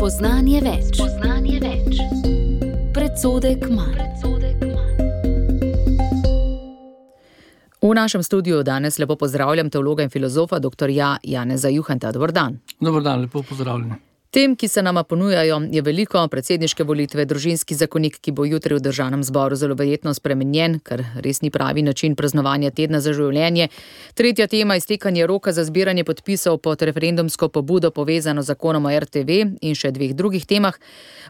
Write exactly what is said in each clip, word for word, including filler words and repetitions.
Spoznanje več. Spoznanje več. Predsodek manj. V našem studiu danes lepo pozdravljam teologa in filozofa doktorja Janeza Juhanta. Dober dan. Dober dan, lepo pozdravljeni. Tem, ki se nama ponujajo, je veliko: predsedniške volitve, družinski zakonik, ki bo jutri v državnem zboru zelo verjetno spremenjen, kar res ni pravi način praznovanja tedna za življenje. Tretja tema, iztekanje roka za zbiranje podpisov pod referendumsko pobudo povezano z zakonom o er te ve in še dveh drugih temah.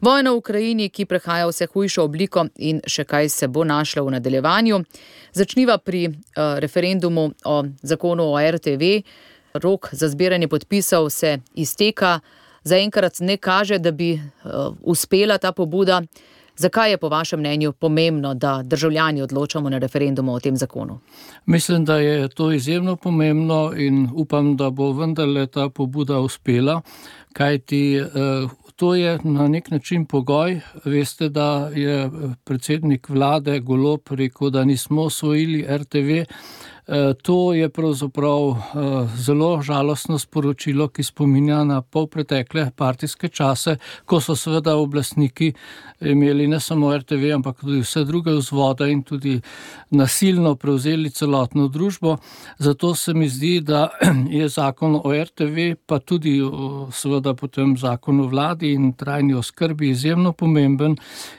Vojna v Ukrajini, ki prehaja vse hujšo obliko, in še kaj se bo našlo v nadaljevanju. Začniva pri uh, referendumu o zakonu o er te ve. Rok za zbiranje podpisov se izteka. Zaenkrat ne kaže, da bi uh, uspela ta pobuda. Zakaj je po vašem mnenju pomembno, da državljani odločamo na referendumu o tem zakonu? Mislim, da je to izjemno pomembno in upam, da bo vendarle ta pobuda uspela, kajti uh, to je na nek način pogoj. Veste, da je predsednik vlade Golob rekel, da nismo osvojili er te ve. To je pravzaprav zelo žalostno sporočilo, ki spominja na polpretekle partijske čase, ko so seveda oblastniki imeli ne samo er te ve, ampak tudi vse druge vzvode in tudi nasilno prevzeli celotno družbo. Zato se mi zdi, da je zakon o er te ve, pa tudi seveda potem zakon o vladi in trajni oskrbi izjemno pomemben,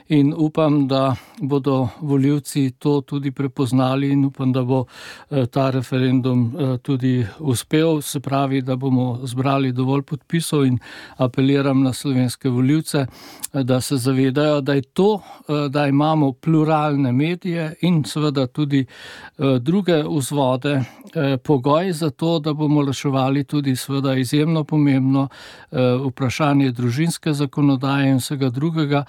in upam, da bodo volivci to tudi prepoznali, in upam, da bo ta referendum tudi uspel, se pravi, da bomo zbrali dovolj podpisov, in apeliram na slovenske volivce, da se zavedajo, da je to, da imamo pluralne medije in seveda tudi druge vzvode, pogoj za to, da bomo reševali tudi seveda izjemno pomembno vprašanje družinske zakonodaje in vsega drugega,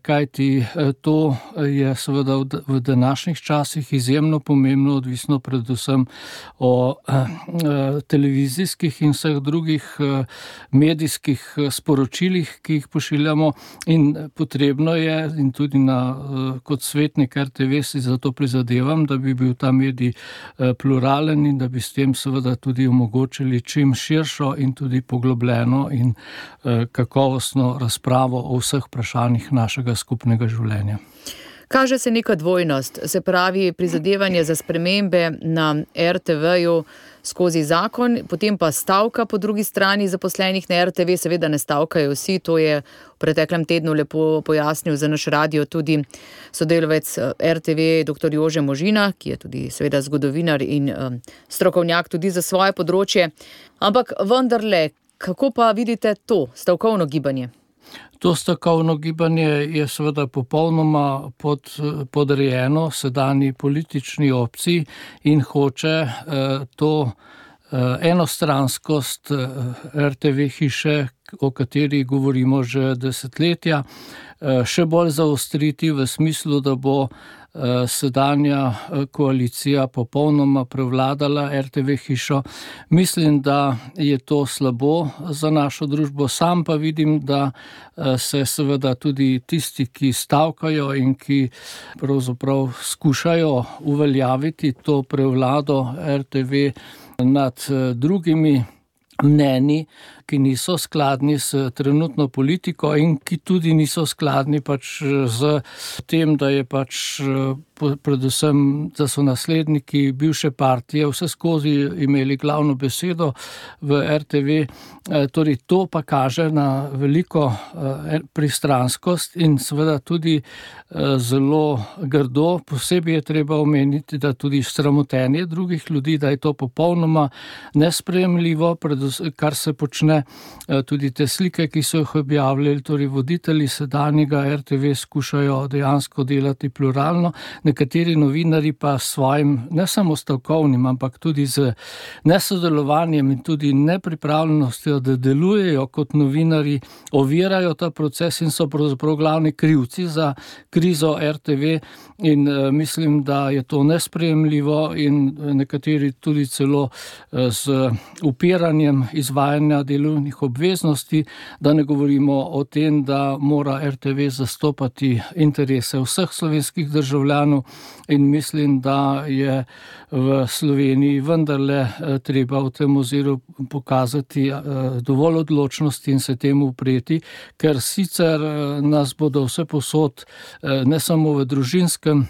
kajti to je seveda v današnjih časih izjemno pomembno, odvisno predvsem o televizijskih in vseh drugih medijskih sporočilih, ki jih pošiljamo, in potrebno je, in tudi na, kot svetnik er te ve si zato prizadevam, da bi bil ta medij pluralen in da bi s tem seveda tudi omogočili čim širšo in tudi poglobljeno in kakovostno razpravo o vseh vprašanjih našega skupnega življenja. Kaže se neka dvojnost, se pravi prizadevanje za spremembe na er te veju skozi zakon, potem pa stavka po drugi strani zaposlenih na er te ve. Seveda ne stavkajo vsi, to je v preteklem tednu lepo pojasnil za naš radio tudi sodelavec er te ve doktor Jože Možina, ki je tudi seveda zgodovinar in um, strokovnjak tudi za svoje področje. Ampak vendarle, kako pa vidite to stavkovno gibanje? To stavkovno gibanje je seveda popolnoma pod, podrejeno sedanji politični opciji in hoče eh, to eh, enostranskost er te ve hiše, o kateri govorimo že desetletja, eh, še bolj zaostriti v smislu, da bo sedanja koalicija popolnoma prevladala er te ve hišo. Mislim, da je to slabo za našo družbo. Sam pa vidim, da se seveda tudi tisti, ki stavkajo in ki pravzaprav skušajo uveljaviti to prevlado er te ve nad drugimi mnenji, ki niso skladni s trenutno politiko in ki tudi niso skladni pač z tem, da je pač predvsem, da so nasledniki bivše partije vse skozi imeli glavno besedo v er te ve. Torej, to pa kaže na veliko pristranskost in seveda tudi zelo grdo. Posebej je treba omeniti, da tudi sramotenje drugih ljudi, da je to popolnoma nesprejemljivo, kar se počne. Tudi te slike, ki so jih objavljali, torej voditelji sedanjega er te ve skušajo dejansko delati pluralno. Nekateri novinari pa s svojim ne samo stavkovnim, ampak tudi z nesodelovanjem in tudi nepripravljenostjo, da delujejo kot novinari, ovirajo ta proces in so pravzaprav glavni krivci za krizo er te ve, in mislim, da je to nesprejemljivo in nekateri tudi celo z upiranjem izvajanja delu volilnih obveznosti, da ne govorimo o tem, da mora er te ve zastopati interese vseh slovenskih državljanov in mislim, da je v Sloveniji vendarle treba v tem oziru pokazati dovolj odločnosti in se temu upreti, ker sicer nas bodo vse posod, ne samo v družinskem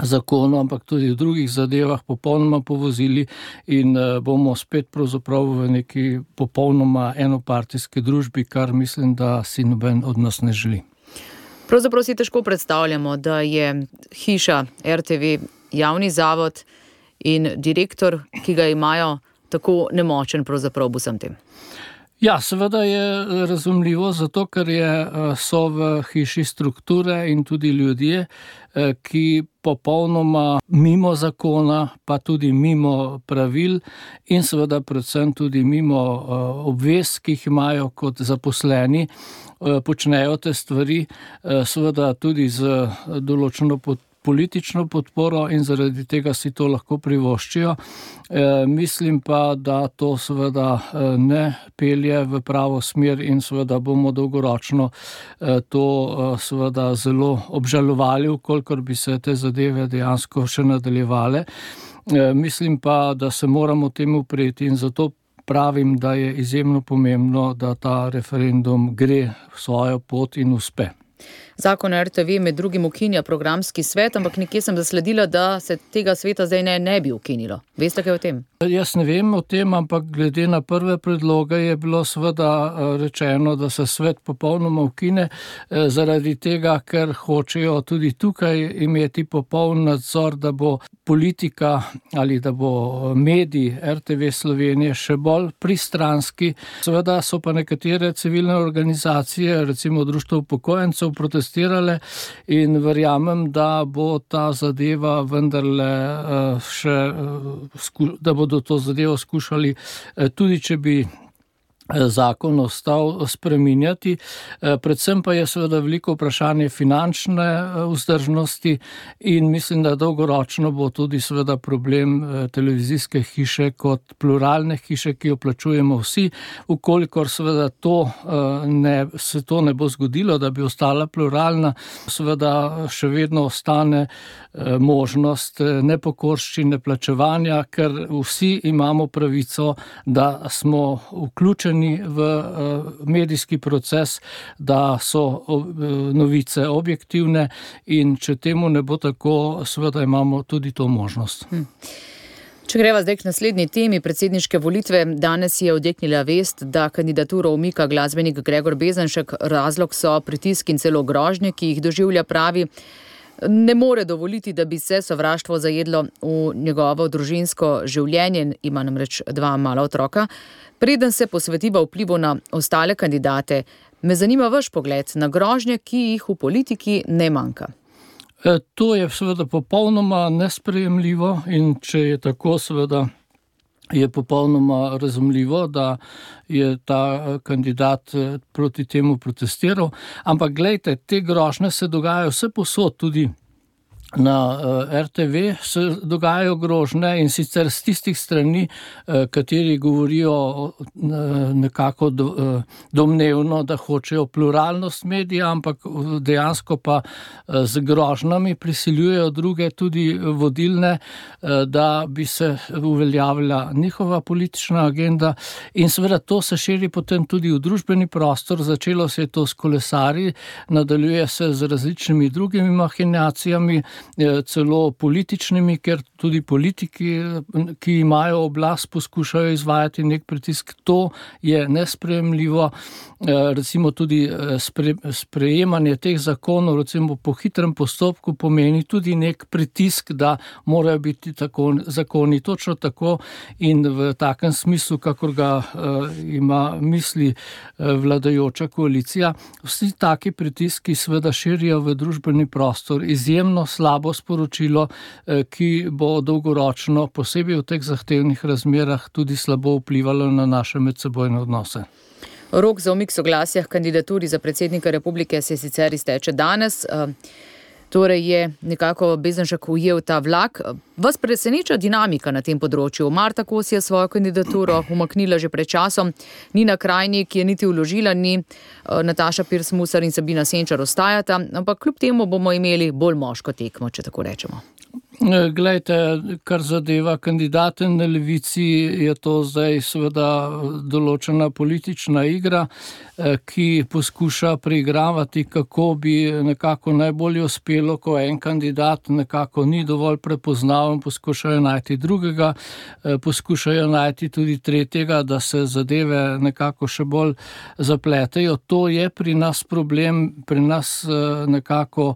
zakonu, ampak tudi v drugih zadevah popolnoma povozili in bomo spet pravzaprav v neki popolnoma enopartijski družbi, kar mislim, da si noben od nas ne želi. Pravzaprav si težko predstavljamo, da je hiša er te ve javni zavod in direktor, ki ga imajo, tako nemočen pravzaprav v vsem tem. Ja, seveda je razumljivo, zato ker je, so v hiši strukture in tudi ljudje, ki popolnoma mimo zakona, pa tudi mimo pravil in seveda predvsem tudi mimo obvez, ki jih imajo kot zaposleni, počnejo te stvari, seveda tudi z določeno podporo, politično podporo in zaradi tega si to lahko privoščijo. E, mislim pa, da to seveda ne pelje v pravo smer in seveda bomo dolgoročno e, to e, seveda zelo obžalovali, vkolikor bi se te zadeve dejansko še nadaljevale. E, mislim pa, da se moramo temu upreti in zato pravim, da je izjemno pomembno, da ta referendum gre svojo pot in uspe. Zakon o er te ve med drugim ukinja programski svet, ampak nekje sem zasledila, da se tega sveta zdaj ne, ne bi ukinilo. Veste kaj o tem? Jaz ne vem o tem, ampak glede na prve predloge je bilo seveda rečeno, da se svet popolnoma ukine, zaradi tega, ker hočejo tudi tukaj imeti popoln nadzor, da bo politika ali da bo medij er te ve Slovenije še bolj pristranski. Seveda so pa nekatere civilne organizacije, recimo Društvo upokojencev, protestirale in verjamem, da bo ta zadeva vendarle še, da bodo to zadevo skušali, tudi če bi zakon ostal spreminjati. Predvsem pa je seveda veliko vprašanje finančne vzdržnosti in mislim, da dolgoročno bo tudi seveda problem televizijske hiše kot pluralne hiše, ki jo plačujemo vsi. Ukolikor seveda to ne, se to ne bo zgodilo, da bi ostala pluralna, seveda še vedno ostane možnost nepokorščine plačevanja, ker vsi imamo pravico, da smo vključeni v medijski proces, da so novice objektivne in če temu ne bo tako, seveda imamo tudi to možnost. Hm. Če greva zdaj k naslednji temi, predsedniške volitve, danes je odjeknila vest, da kandidaturo umika glasbenik Gregor Bezenšek, razlog so pritisk in celo grožnje, ki jih doživlja, pravi, ne more dovoliti, da bi se sovraštvo zajedlo v njegovo družinsko življenje, ima namreč dva mala otroka. Preden se posvetiva vplivu na ostale kandidate, me zanima vaš pogled na grožnje, ki jih v politiki ne manjka. E, to je seveda popolnoma nesprejemljivo in če je tako, seveda je popolnoma razumljivo, da je ta kandidat proti temu protestiral. Ampak glejte, te grožnje se dogajajo vse posod, tudi na er te ve se dogajajo grožnje in sicer z tistih strani, kateri govorijo nekako domnevno, da hočejo pluralnost medija, ampak dejansko pa z grožnjami prisiljujejo druge, tudi vodilne, da bi se uveljavila njihova politična agenda in seveda to se širi potem tudi v družbeni prostor. Začelo se je to s kolesarji, nadaljuje se z različnimi drugimi mahinacijami, celo političnimi, ker tudi politiki, ki imajo oblast, poskušajo izvajati nek pritisk. To je nesprejemljivo. Recimo tudi spre, sprejemanje teh zakonov, recimo po hitrem postopku, pomeni tudi nek pritisk, da morajo biti tako, zakoni točno tako in v takem smislu, kakor ga uh, ima misli uh, vladajoča koalicija. Vsi taki pritiski seveda širijo v družbeni prostor izjemno slabo sporočilo, uh, ki bo dolgoročno, posebej v teh zahtevnih razmerah, tudi slabo vplivalo na naše medsebojne odnose. Rok za umik soglasja k kandidaturi za predsednika republike se sicer izteče danes. Torej je nekako Bezjanšek ujel ta vlak. Vas preseneča dinamika na tem področju? Marta Kos je svojo kandidaturo umaknila že pred časom, Nina Krajnik je niti vložila ni, Nataša Pirc Musar in Sabina Senčar ostajata, ampak kljub temu bomo imeli bolj moško tekmo, če tako rečemo. Glejte, kar zadeva kandidate na levici, je to zdaj seveda določena politična igra, ki poskuša preigravati, kako bi nekako najbolje uspelo, ko en kandidat nekako ni dovolj prepoznaven, poskušajo najti drugega, poskušajo najti tudi tretjega, da se zadeve nekako še bolj zapletejo. To je pri nas problem, pri nas nekako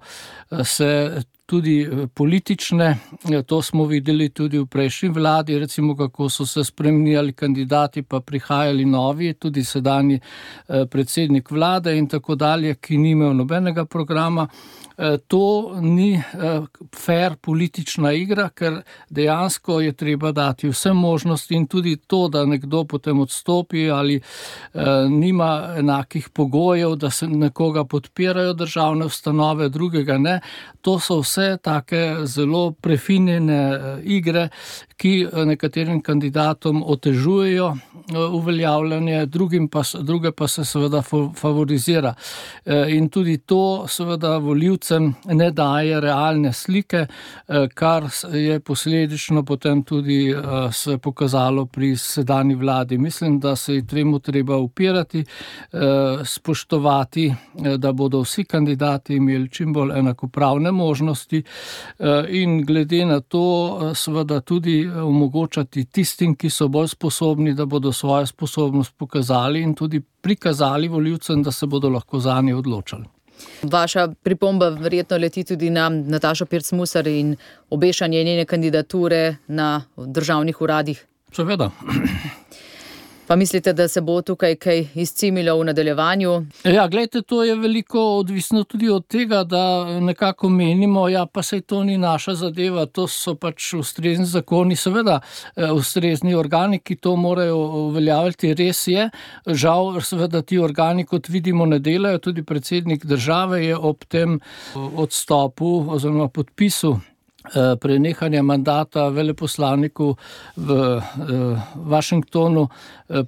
se tudi politične, to smo videli tudi v prejšnji vladi, recimo kako so se spremenjali kandidati, pa prihajali novi, tudi sedanji predsednik vlade in tako dalje, ki ni imel nobenega programa. To ni fair politična igra, ker dejansko je treba dati vse možnosti in tudi to, da nekdo potem odstopi ali nima enakih pogojev, da se nekoga podpirajo državne ustanove, drugega ne. To so vse take zelo prefinjene igre, ki nekaterim kandidatom otežujejo uveljavljanje, drugim pa, druge pa se seveda favorizira. In tudi to seveda volivcem ne daje realne slike, kar je posledično potem tudi se pokazalo pri sedanji vladi. Mislim, da se je temu treba upirati, spoštovati, da bodo vsi kandidati imeli čim bolj enakopravne možnosti in glede na to seveda tudi omogočati tistim, ki so bolj sposobni, da bodo svojo sposobnost pokazali in tudi prikazali volivcem, da se bodo lahko zanje odločali. Vaša pripomba verjetno leti tudi na Natašo Pirc Musar in obešanje njene kandidature na državnih uradih. Seveda. Pa mislite, da se bo tukaj kaj izcimilo v nadaljevanju? Ja, gledajte, to je veliko odvisno tudi od tega, da nekako menimo, ja, pa saj to ni naša zadeva, to so pač ustrezni zakoni, seveda ustrezni organi, ki to morajo uveljavljati, res je. Žal, seveda ti organi, kot vidimo, ne delajo, tudi predsednik države je ob tem odstopu oziroma podpisu prenehanja mandata veleposlaniku v Washingtonu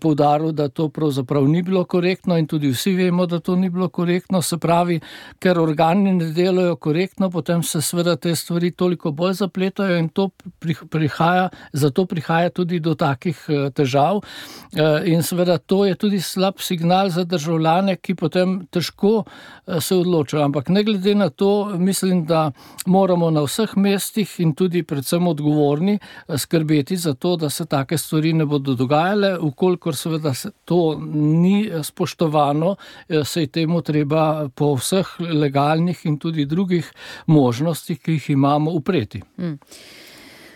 poudaril, da to pravzaprav ni bilo korektno in tudi vsi vemo, da to ni bilo korektno, se pravi, ker organi ne delajo korektno, potem se seveda te stvari toliko bolj zapletajo in to prihaja, zato prihaja tudi do takih težav in seveda to je tudi slab signal za državljane, ki potem težko se odločajo, ampak ne glede na to, mislim, da moramo na vseh mestih in tudi predvsem odgovorni skrbeti za to, da se take stvari ne bodo dogajale, ukolikor seveda se to ni spoštovano, se je temu treba po vseh legalnih in tudi drugih možnostih, ki jih imamo, upreti. Hmm.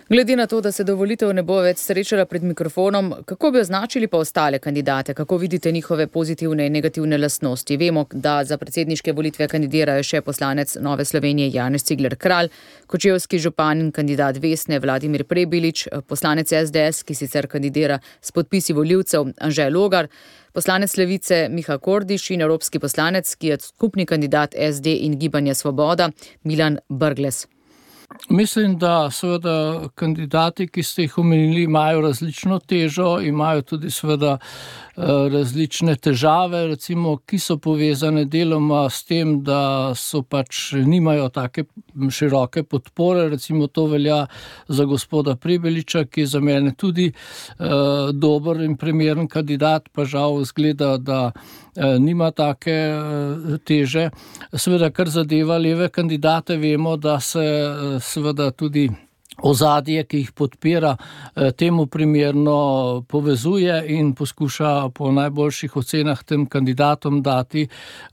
Glede na to, da se do volitev ne bo več srečala pred mikrofonom, kako bi označili pa ostale kandidate? Kako vidite njihove pozitivne in negativne lastnosti? Vemo, da za predsedniške volitve kandidirajo še poslanec Nove Slovenije Janez Cigler Kralj, kočevski župan in kandidat Vesne Vladimir Prebilič, poslanec S D S, ki sicer kandidira s podpisi volivcev, Anže Logar, poslanec Levice Miha Kordiš in evropski poslanec, ki je skupni kandidat S D in Gibanja Svoboda, Milan Brglez. Mislim, da seveda kandidati, ki ste jih omenili, imajo različno težo, imajo tudi seveda različne težave, recimo, ki so povezane deloma s tem, da so pač nimajo take široke podpore, recimo to velja za gospoda Prebiliča, ki je za mene tudi uh, dober in primeren kandidat, pa žal zgleda, da uh, nima take uh, teže. Seveda, kar zadeva leve kandidate, vemo, da se uh, seveda tudi ozadje, ki jih podpira, temu primerno povezuje in poskuša po najboljših ocenah tem kandidatom dati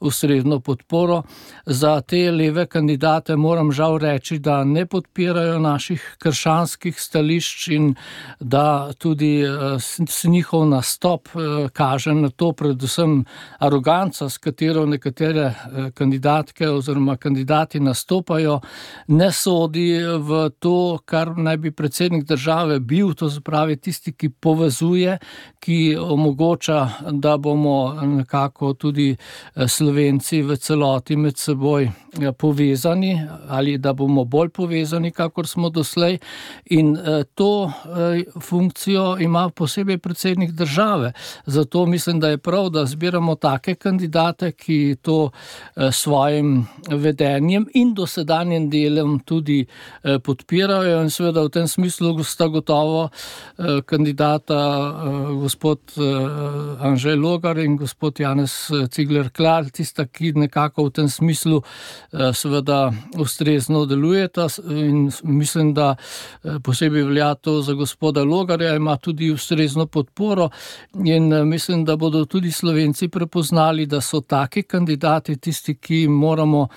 ustrezno podporo. Za te leve kandidate moram žal reči, da ne podpirajo naših krščanskih stališč in da tudi s njihov nastop kaže na to predvsem aroganca, s katero nekatere kandidatke oziroma kandidati nastopajo, ne sodi v to, kar naj bi predsednik države bil, to se pravi tisti, ki povezuje, ki omogoča, da bomo nekako tudi Slovenci v celoti med seboj povezani ali da bomo bolj povezani, kakor smo doslej. In to funkcijo ima posebej predsednik države. Zato mislim, da je prav, da zbiramo take kandidate, ki to svojim vedenjem in dosedanjem delom tudi podpirajo, in seveda v tem smislu sta gotovo kandidata gospod Anže Logar in gospod Janez Cigler Kralj, tista, ki nekako v tem smislu seveda ustrezno delujeta, in mislim, da posebej velja to za gospoda Logarja, ima tudi ustrezno podporo, in mislim, da bodo tudi Slovenci prepoznali, da so taki kandidati tisti, ki moramo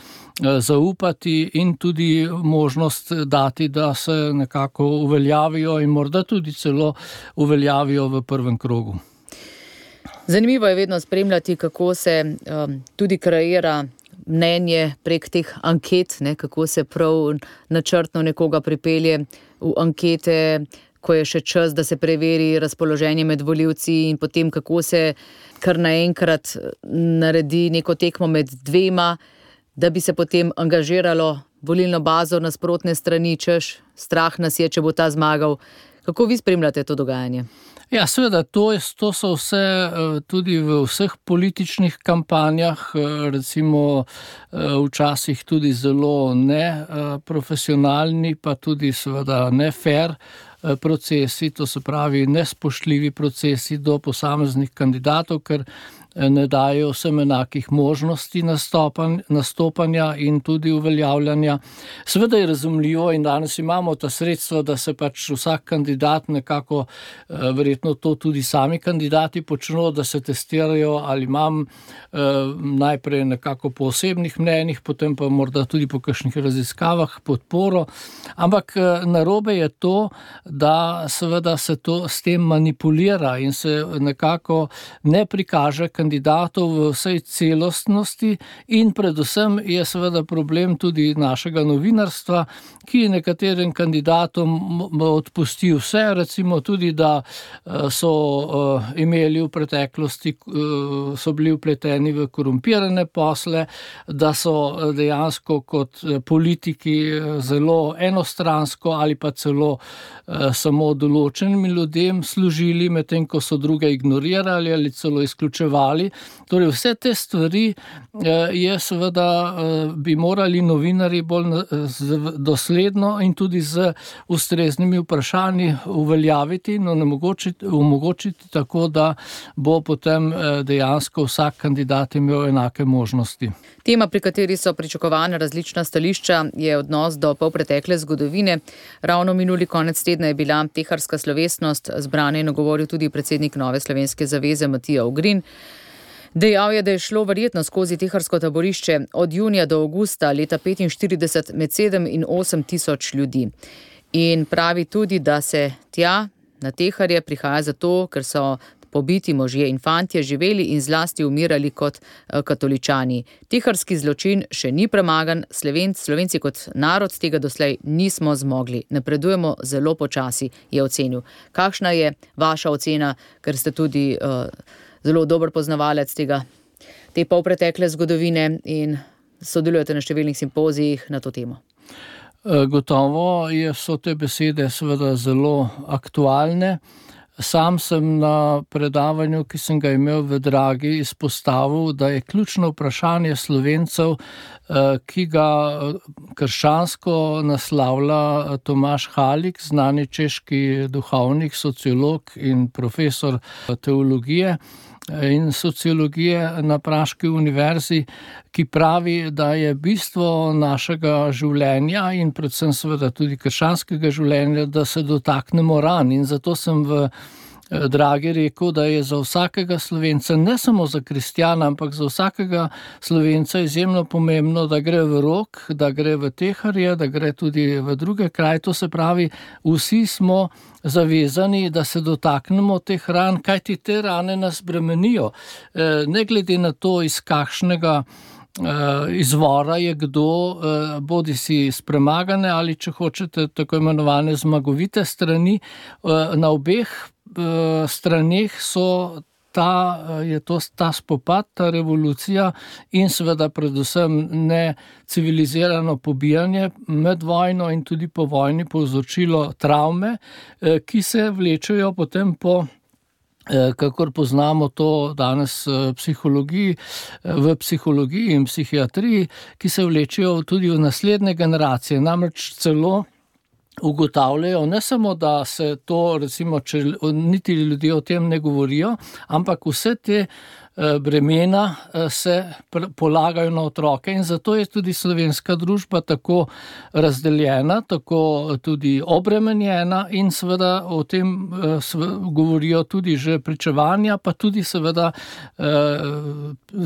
zaupati in tudi možnost dati, da se nekako uveljavijo in morda tudi celo uveljavijo v prvem krogu. Zanimivo je vedno spremljati, kako se um, tudi kreira mnenje prek teh anket, ne, kako se prav načrtno nekoga pripelje v ankete, ko je še čas, da se preveri razpoloženje med volivci, in potem kako se kar naenkrat naredi neko tekmo med dvema, da bi se potem angažiralo volilno bazo nasprotne strani, češ strah nas je, če bo ta zmagal. Kako vi spremljate to dogajanje? Ja, seveda, to, je, to so vse tudi v vseh političnih kampanjah, recimo včasih tudi zelo neprofesionalni, pa tudi seveda ne fair procesi, to se pravi nespoštljivi procesi do posameznih kandidatov, ker ne dajo vsem enakih možnosti nastopanja in tudi uveljavljanja. Seveda je razumljivo in danes imamo ta sredstva, da se pač vsak kandidat nekako, verjetno to tudi sami kandidati počno, da se testirajo, ali imam najprej nekako po osebnih mnenjih, potem pa morda tudi po kakšnih raziskavah podporo. Ampak narobe je to, da seveda se to s tem manipulira in se nekako ne prikaže kandidatov v vsej celostnosti, in predvsem je seveda problem tudi našega novinarstva, ki nekaterim kandidatom odpusti vse, recimo tudi, da so imeli v preteklosti, so bili vpleteni v korumpirane posle, da so dejansko kot politiki zelo enostransko ali pa celo samo določenim ljudem služili, medtem ko so druge ignorirali ali celo izključevali. Torej vse te stvari je seveda bi morali novinarji bolj dosledno in tudi z ustreznimi vprašanji uveljaviti in omogočiti, omogočiti tako, da bo potem dejansko vsak kandidat imel enake možnosti. Tema, pri kateri so pričakovane različna stališča, je odnos do polpretekle zgodovine. Ravno minuli konec tedna je bila teharska slovesnost, zbrana in nagovoril tudi predsednik Nove slovenske zaveze Matija Ogrin. Dejal je, da je šlo verjetno skozi teharsko taborišče od junija do avgusta leta petinštirideset med sedem in osem tisoč ljudi. In pravi tudi, da se tja na Teharje prihaja zato, ker so pobiti možje in fantje živeli in zlasti umirali kot katoličani. Teharski zločin še ni premagan, Slovenci, Slovenci kot narod tega doslej nismo zmogli. Napredujemo zelo počasi, je ocenil. Kakšna je vaša ocena, ker ste tudi uh, zelo dober poznavalec tega, te polpretekle zgodovine in sodelujete na številnih simpozijih na to temo? Gotovo so te besede seveda zelo aktualne. Sam sem na predavanju, ki sem ga imel v Dragi, izpostavil, da je ključno vprašanje Slovencev, ki ga krščansko naslavlja Tomaž Halik, znani češki duhovnik, sociolog in profesor teologije in sociologije na Praški univerzi, ki pravi, da je bistvo našega življenja in predvsem seveda tudi krščanskega življenja, da se dotaknemo ran. In zato sem v Dragi rekel, da je za vsakega Slovenca, ne samo za kristjana, ampak za vsakega Slovenca izjemno pomembno, da gre v Rog, da gre v Teharje, da gre tudi v druge kraje. To se pravi, vsi smo zavezani, da se dotaknemo teh ran, kajti te rane nas bremenijo. Ne glede na to, iz kakšnega izvora je kdo, bodi si s premagane ali, če hočete, tako imenovane zmagovite strani. Na obeh straneh so ta, je to ta spopad, ta revolucija in seveda predvsem ne civilizirano pobijanje med vojno in tudi po vojni povzročilo travme, ki se vlečejo potem po, kakor poznamo to danes psihologiji, v psihologiji in psihiatriji, ki se vlečejo tudi v naslednje generacije, namreč celo ugotavljajo, ne samo, da se to, recimo, če niti ljudje o tem ne govorijo, ampak vse te bremena se polagajo na otroke in zato je tudi slovenska družba tako razdeljena, tako tudi obremenjena in seveda o tem govorijo tudi že pričevanja, pa tudi seveda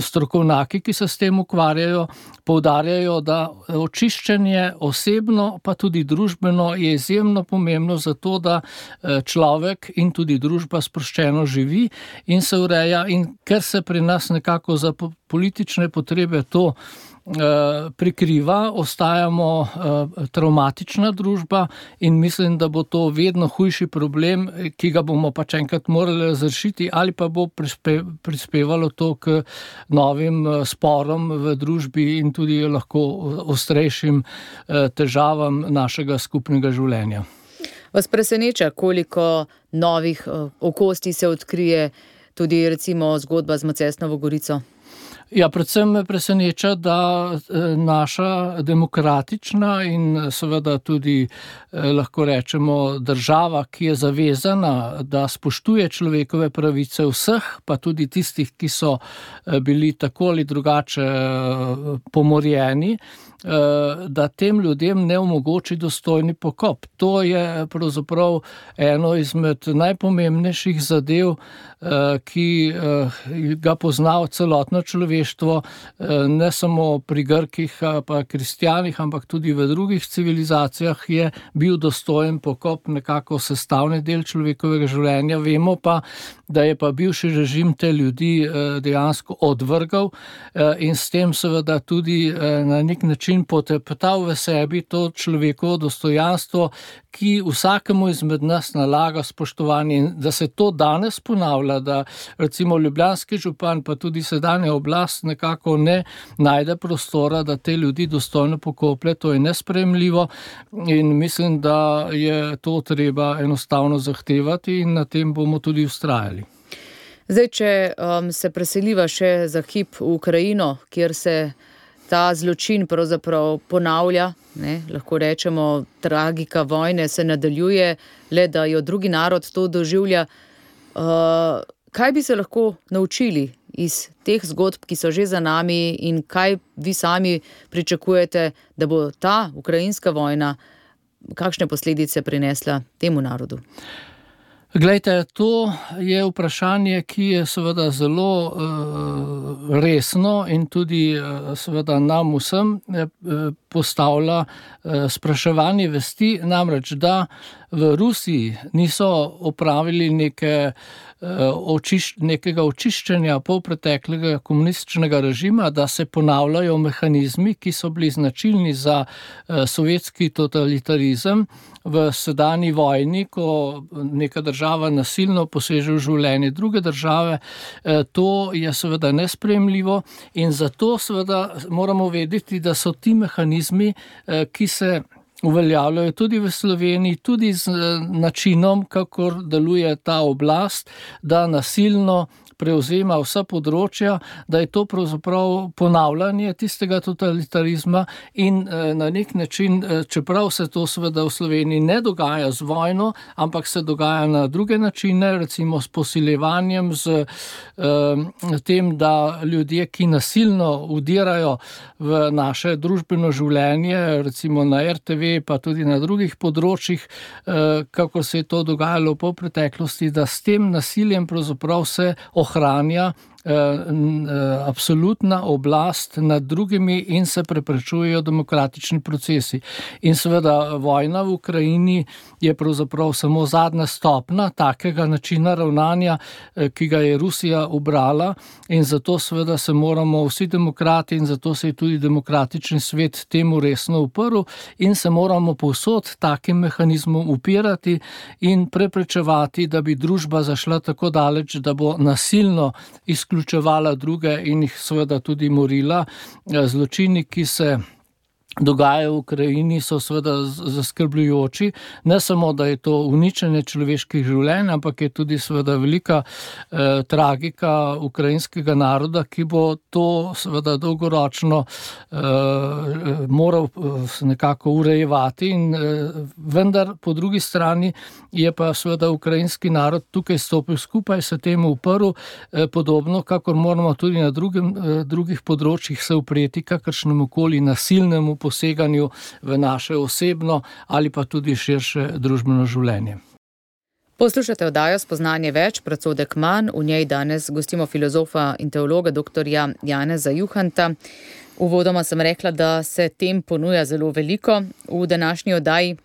strokovnjaki, ki se s tem ukvarjajo, poudarjajo, da očiščenje osebno, pa tudi družbeno je izjemno pomembno za to, da človek in tudi družba sproščeno živi in se ureja in ker se pri nas nekako za politične potrebe to prikriva, ostajamo travmatična družba in mislim, da bo to vedno hujši problem, ki ga bomo pač enkrat morali razrešiti ali pa bo prispevalo to k novim sporom v družbi in tudi lahko ostrejšim težavam našega skupnega življenja. Vas preseneča, koliko novih okostij se odkrije tudi recimo zgodba z Macesnovo Gorico? Ja, predvsem me preseneča, da naša demokratična in seveda tudi lahko rečemo država, ki je zavezana, da spoštuje človekove pravice vseh, pa tudi tistih, ki so bili tako ali drugače pomorjeni, da tem ljudem ne omogoči dostojni pokop. To je pravzaprav eno izmed najpomembnejših zadev, ki ga pozna celotno človeštvo, ne samo pri Grkih pa kristjanih, ampak tudi v drugih civilizacijah je bil dostojen pokop nekako sestavni del človekovega življenja. Vemo pa, da je pa bivši režim te ljudi dejansko odvrgal in s tem seveda tudi na nek način poteptal v sebi to človekovo dostojanstvo, ki vsakemu izmed nas nalaga spoštovanje in da se to danes ponavlja, da recimo ljubljanski župan pa tudi sedanja oblast nekako ne najde prostora, da te ljudi dostojno pokoplje, to je nesprejemljivo in mislim, da je to treba enostavno zahtevati in na tem bomo tudi vztrajali. Zdaj, če um, se preseliva še za hip v Ukrajino, kjer se ta zločin pravzaprav ponavlja, ne, lahko rečemo, tragika vojne se nadaljuje, le da jo drugi narod to doživlja. Uh, kaj bi se lahko naučili iz teh zgodb, ki so že za nami in kaj vi sami pričakujete, da bo ta ukrajinska vojna, kakšne posledice prinesla temu narodu? Glejte, to je vprašanje, ki je seveda zelo uh, resno in tudi uh, seveda nam vsem uh, postavlja uh, spraševanje vesti, namreč, da v Rusiji niso opravili neke, uh, očiš, nekega očiščenja polpreteklega komunističnega režima, da se ponavljajo mehanizmi, ki so bili značilni za uh, sovjetski totalitarizem v sedanji vojni, ko neka država nasilno poseže v življenje druge države. To je seveda nesprejemljivo in zato seveda moramo vedeti, da so ti mehanizmi, ki se uveljavljajo tudi v Sloveniji, tudi z načinom, kakor deluje ta oblast, da nasilno prevzema vsa področja, da je to pravzaprav ponavljanje tistega totalitarizma in na nek način, čeprav se to seveda v Sloveniji ne dogaja z vojno, ampak se dogaja na druge načine, recimo s posiljevanjem, z um, tem, da ljudje, ki nasilno vdirajo v naše družbeno življenje, recimo na er te ve, pa tudi na drugih področjih, uh, kako se je to dogajalo po preteklosti, da s tem nasiljem pravzaprav se ohranja absolutna oblast nad drugimi in se preprečujejo demokratični procesi. In seveda vojna v Ukrajini je pravzaprav samo zadnja stopna takega načina ravnanja, ki ga je Rusija ubrala, in zato seveda se moramo vsi demokrati in zato se je tudi demokratični svet temu resno uprl in se moramo povsod takim mehanizmom upirati in preprečevati, da bi družba zašla tako daleč, da bo nasilno izključevala druge in jih seveda tudi morila. Zločini, ki se dogajajo v Ukrajini, so seveda zaskrbljujoči. Ne samo, da je to uničenje človeških življenj, ampak je tudi seveda velika eh, tragika ukrajinskega naroda, ki bo to seveda dolgoročno eh, moral nekako urejevati. In, eh, vendar po drugi strani je pa seveda ukrajinski narod tukaj stopil skupaj, se temu uprl, eh, podobno, kakor moramo tudi na drugim, eh, drugih področjih se upreti kakršnemu koli nasilnemu poseganju v naše osebno ali pa tudi širše družbeno življenje. Poslušate oddajo Spoznanje več, predsodek manj. V njej danes gostimo filozofa in teologa doktorja Janeza Juhanta. Uvodoma sem rekla, da se tem ponuja zelo veliko v današnji oddaji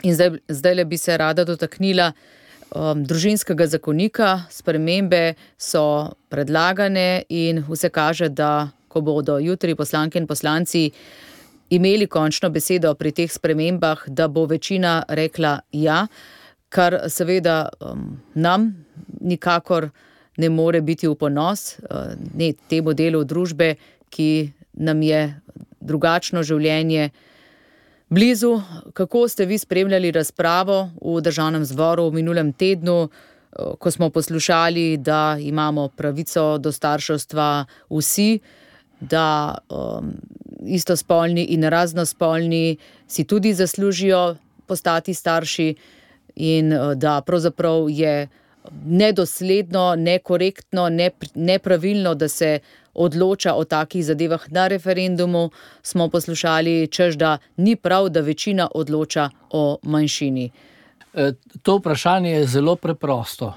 in zdaj, zdaj bi se rada dotaknila um, družinskega zakonika. Spremembe so predlagane in vse kaže, da ko bodo jutri poslanke in poslanci imeli končno besedo pri teh spremembah, da bo večina rekla ja, kar seveda um, nam nikakor ne more biti v ponos, uh, ne temu delu družbe, ki nam je drugačno življenje blizu. Kako ste vi spremljali razpravo v Državnem zboru v minulem tednu, uh, ko smo poslušali, da imamo pravico do starševstva vsi, da um, istospolni in raznospolni si tudi zaslužijo postati starši in da pravzaprav je nedosledno, nekorektno, nepravilno, da se odloča o takih zadevah na referendumu, smo poslušali, češ da ni prav, da večina odloča o manjšini. To vprašanje je zelo preprosto.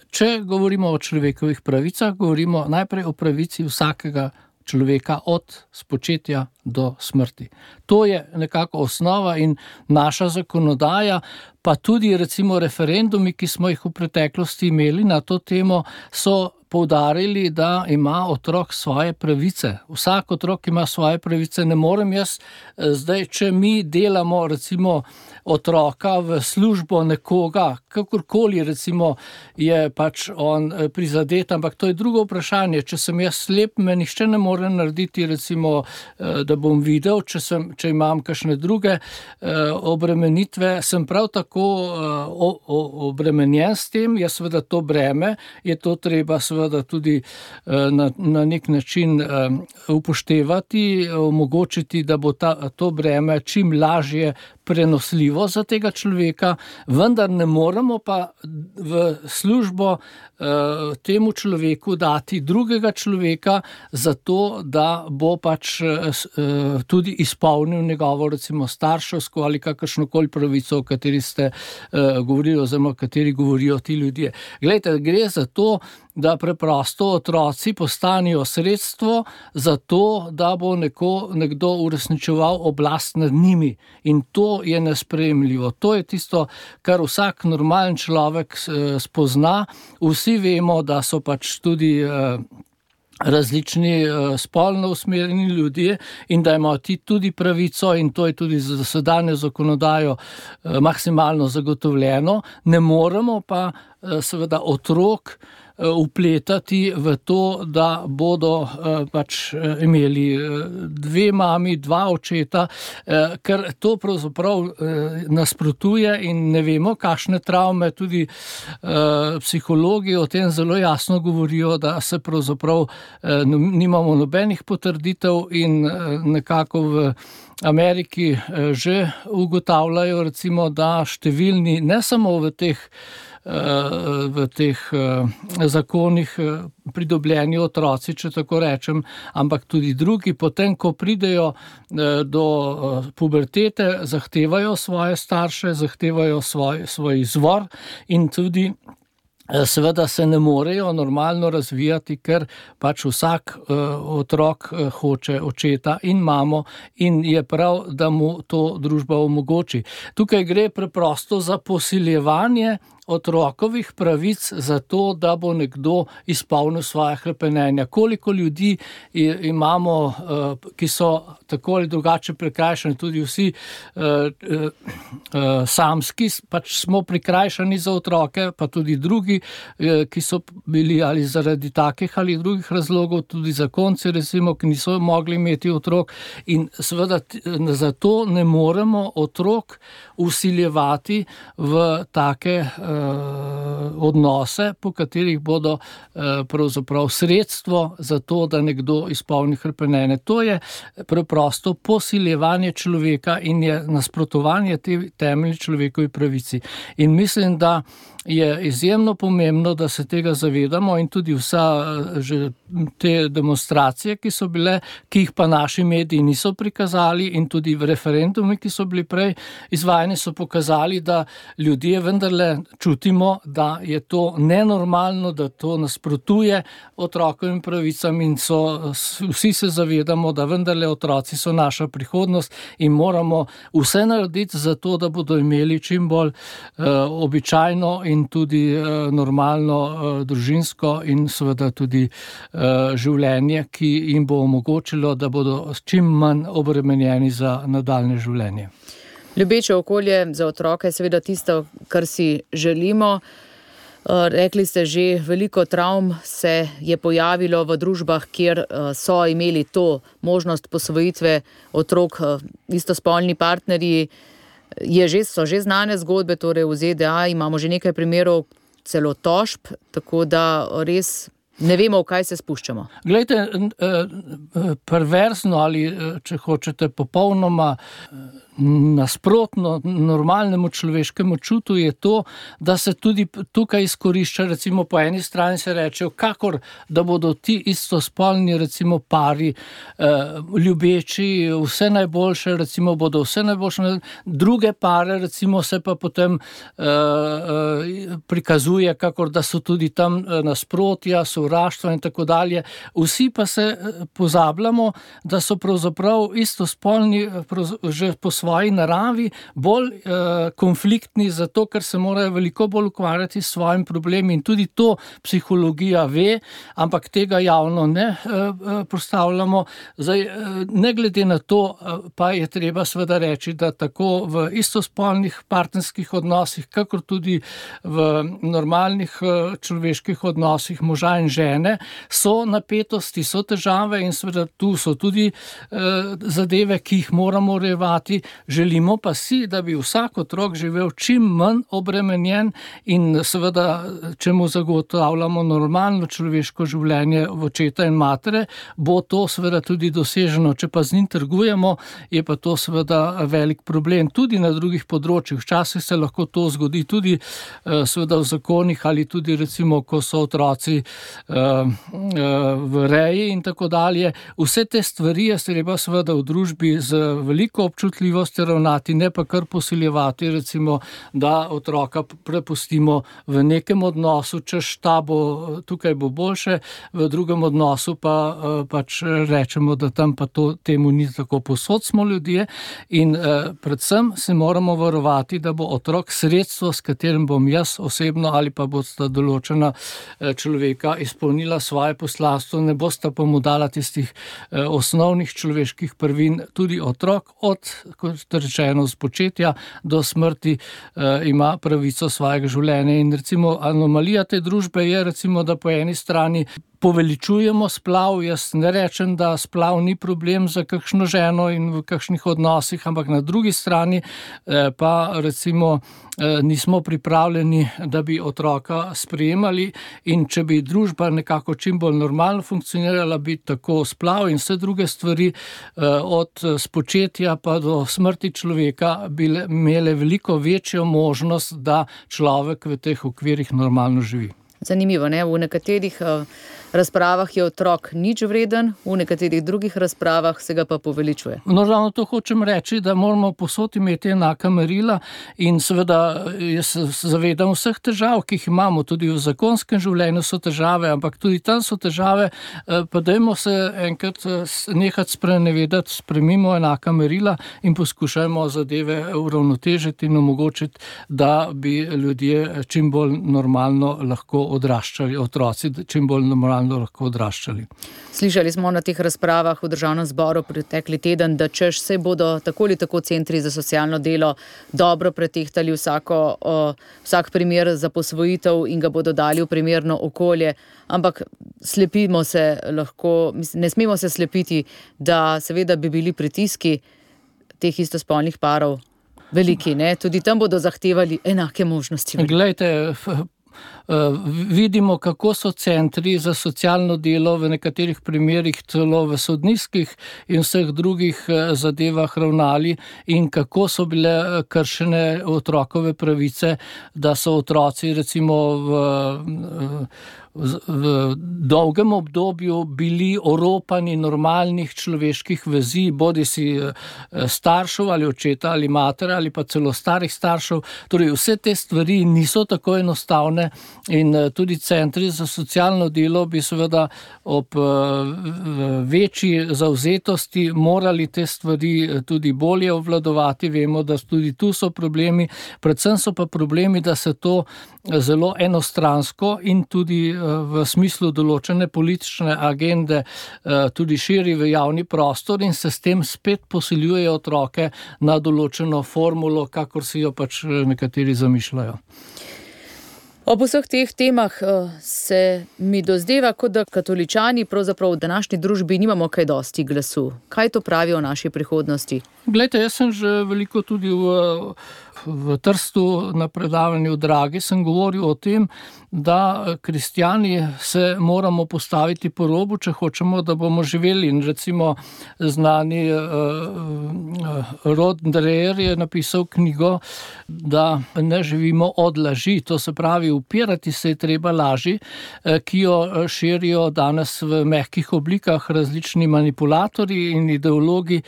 Če govorimo o človekovih pravicah, govorimo najprej o pravici vsakega človeka od spočetja do smrti. To je nekako osnova in naša zakonodaja, pa tudi recimo referendumi, ki smo jih v preteklosti imeli na to temo, so poudarili, da ima otrok svoje pravice. Vsak otrok ima svoje pravice. Ne morem jaz zdaj, če mi delamo recimo otroka v službo nekoga, kakorkoli recimo je pač on prizadet, ampak to je drugo vprašanje. Če sem jaz slep, me nihče ne more narediti recimo, da bom videl, če, sem, če imam kakšne druge obremenitve, sem prav tako obremenjen s tem, je seveda to breme, je to treba seveda tudi na, na nek način upoštevati, omogočiti, da bo ta, to breme čim lažje prenosljivo za tega človeka, vendar ne moremo pa v službo uh, temu človeku dati drugega človeka zato, da bo pač uh, tudi izpolnil njegovo recimo starševsko ali kakršnokoli pravico, o kateri ste uh, govorili oziroma o kateri govorijo ti ljudje. Glejte, gre za to, da preprosto otroci postanejo sredstvo za to, da bo neko, nekdo uresničeval oblast nad njimi. In to je nesprejemljivo. To je tisto, kar vsak normalen človek spozna. Vsi vemo, da so pač tudi različni spolno usmerjeni ljudje in da imajo ti tudi pravico in to je tudi za sedanjo zakonodajo maksimalno zagotovljeno. Ne moremo pa seveda otrok vpletati v to, da bodo pač imeli dve mami, dva očeta, ker to pravzaprav nasprotuje in ne vemo, kakšne travme, tudi psihologi o tem zelo jasno govorijo, da se pravzaprav nimamo nobenih potrditev in nekako v Ameriki že ugotavljajo recimo, da številni, ne samo v teh v teh zakonih pridobljeni otroci, če tako rečem, ampak tudi drugi, potem, ko pridejo do pubertete, zahtevajo svoje starše, zahtevajo svoj, svoj izvor in tudi seveda se ne morejo normalno razvijati, ker pač vsak uh, otrok uh, hoče očeta in mamo in je prav, da mu to družba omogoči. Tukaj gre preprosto za posiljevanje otrokovih pravic za to, da bo nekdo izpolnil svoje hrepenenja. Koliko ljudi imamo, ki so tako ali drugače prikrajšani, tudi vsi uh, uh, uh, samski, pač smo prikrajšani za otroke, pa tudi drugi, uh, ki so bili ali zaradi takih ali drugih razlogov, tudi zakonci, recimo, ki niso mogli imeti otrok, in seveda zato ne moremo otrok vsiljevati v take uh, odnose, po katerih bodo uh, pravzaprav sredstvo za to, da nekdo izpolni hrepenenje. To je preprosto posiljevanje človeka in je nasprotovanje te temeljni človekovi pravici. In mislim, da je izjemno pomembno, da se tega zavedamo, in tudi vsa že te demonstracije, ki so bile, ki jih pa naši mediji niso prikazali, in tudi referendumi, ki so bili prej izvajani, so pokazali, da ljudje vendarle čutimo, da je to nenormalno, da to nasprotuje otrokovim pravicam, in so, vsi se zavedamo, da vendarle otroci so naša prihodnost in moramo vse narediti za to, da bodo imeli čim bolj uh, običajno in tudi uh, normalno uh, družinsko in seveda tudi uh, življenje, ki jim bo omogočilo, da bodo čim manj obremenjeni za nadaljne življenje. Ljubeče okolje za otroke je seveda tisto, kar si želimo. Rekli ste že, veliko travm se je pojavilo v družbah, kjer so imeli to možnost posvojitve otrok istospolni partnerji. Je že, so že znane zgodbe, torej v Z D A imamo že nekaj primerov, celo tožb, tako da res ne vemo, v kaj se spuščamo. Glejte, perverzno ali, če hočete, popolnoma nasprotno normalnemu človeškemu čutu je to, da se tudi tukaj izkorišča, recimo po eni strani se reče, kakor da bodo ti istospolni, recimo pari, ljubeči, vse najboljše, recimo bodo vse najboljše, druge pare, recimo se pa potem prikazuje, kakor da so tudi tam nasprotja, sovraštva in tako dalje. Vsi pa se pozabljamo, da so pravzaprav istospolni že po svoji naravi bolj eh, konfliktni, zato ker se morajo veliko bolj ukvarjati s svojim problemi, in tudi to psihologija ve, ampak tega javno ne eh, postavljamo. Zdaj, eh, ne glede na to, eh, pa je treba seveda reči, da tako v istospolnih partnerskih odnosih, kakor tudi v normalnih eh, človeških odnosih moža in žene, so napetosti, so težave, in seveda tu so tudi eh, zadeve, ki jih moramo urejevati. Želimo pa si, da bi vsak otrok živel čim manj obremenjen, in seveda, če mu zagotavljamo normalno človeško življenje v očeta in matere, bo to seveda tudi doseženo. Če pa z njim trgujemo, je pa to seveda velik problem. Tudi na drugih področjih. Včasih se lahko to zgodi tudi seveda v zakonih, ali tudi recimo, ko so otroci v reji in tako dalje. Vse te stvari je treba seveda v družbi z veliko občutljivosti ravnati, ne pa kar posiljevati, recimo, da otroka prepustimo v nekem odnosu, češ ta bo, tukaj bo boljše, v drugem odnosu pa pač rečemo, da tam pa to, temu ni tako. Povsod smo ljudje in eh, predvsem se moramo varovati, da bo otrok sredstvo, s katerim bom jaz osebno ali pa bosta določena eh, človeka izpolnila svoje poslanstvo, ne bosta pa mu dala tistih eh, osnovnih človeških prvin. Tudi otrok od, kot rečeno, spočetja do smrti eh, ima pravico svojega življenja. In recimo anomalija te družbe je, recimo, da po eni strani poveličujemo splav. Jaz ne rečem, da splav ni problem za kakšno ženo in v kakšnih odnosih, ampak na drugi strani eh, pa recimo eh, nismo pripravljeni, da bi otroka sprejemali, in če bi družba nekako čim bolj normalno funkcionirala, bi tako splav in vse druge stvari eh, od spočetja pa do smrti človeka bile, imele veliko večjo možnost, da človek v teh okvirih normalno živi. Zanimivo, ne? V nekaterih uh, razpravah je otrok nič vreden, v nekaterih drugih razpravah se ga pa poveličuje. No, ravno to hočem reči, da moramo povsod imeti enaka merila in seveda jaz se zavedam vseh težav, ki jih imamo, tudi v zakonskem življenju so težave, ampak tudi tam so težave, pa dajmo se enkrat nehati sprenevedati, spremimo enaka merila in poskušajmo zadeve uravnotežiti in omogočiti, da bi ljudje čim bolj normalno lahko odraščali, otroci čim bolj normalno lahko odraščali. Slišali smo na teh razpravah v Državnem zboru pretekli teden, da češ se bodo tako ali tako centri za socialno delo dobro pretehtali vsako, o, vsak primer za posvojitev in ga bodo dali v primerno okolje, ampak slepimo se lahko, ne smemo se slepiti, da seveda bi bili pritiski teh istospolnih parov veliki, ne? Tudi tam bodo zahtevali enake možnosti. Glejte, vidimo, kako so centri za socialno delo v nekaterih primerih celo v sodniških in vseh drugih zadevah ravnali in kako so bile kršene otrokove pravice, da so otroci recimo v v dolgem obdobju bili oropani normalnih človeških vezi, bodi si staršev ali očeta ali matere ali pa celo starih staršev. Torej vse te stvari niso tako enostavne in tudi centri za socialno delo bi seveda ob večji zavzetosti morali te stvari tudi bolje obvladovati. Vemo, da tudi tu so problemi, predvsem so pa problemi, da se to zelo enostransko in tudi v smislu določene politične agende tudi širi v javni prostor in se s tem spet posiljuje otroke na določeno formulo, kakor si jo pač nekateri zamišljajo. Ob vseh teh temah se mi dozdeva, kot da katoličani pravzaprav v današnji družbi nimamo kaj dosti glasu. Kaj to pravi o naši prihodnosti? Glejte, jaz sem že veliko tudi v, v Trstu na predavanju Dragi sem govoril o tem, da kristjani se moramo postaviti po robu, če hočemo, da bomo živeli. In recimo znani uh, Rod Dreher je napisal knjigo, da ne živimo od laži, to se pravi, upirati se je treba laži, ki jo širijo danes v mehkih oblikah različni manipulatorji in ideologi,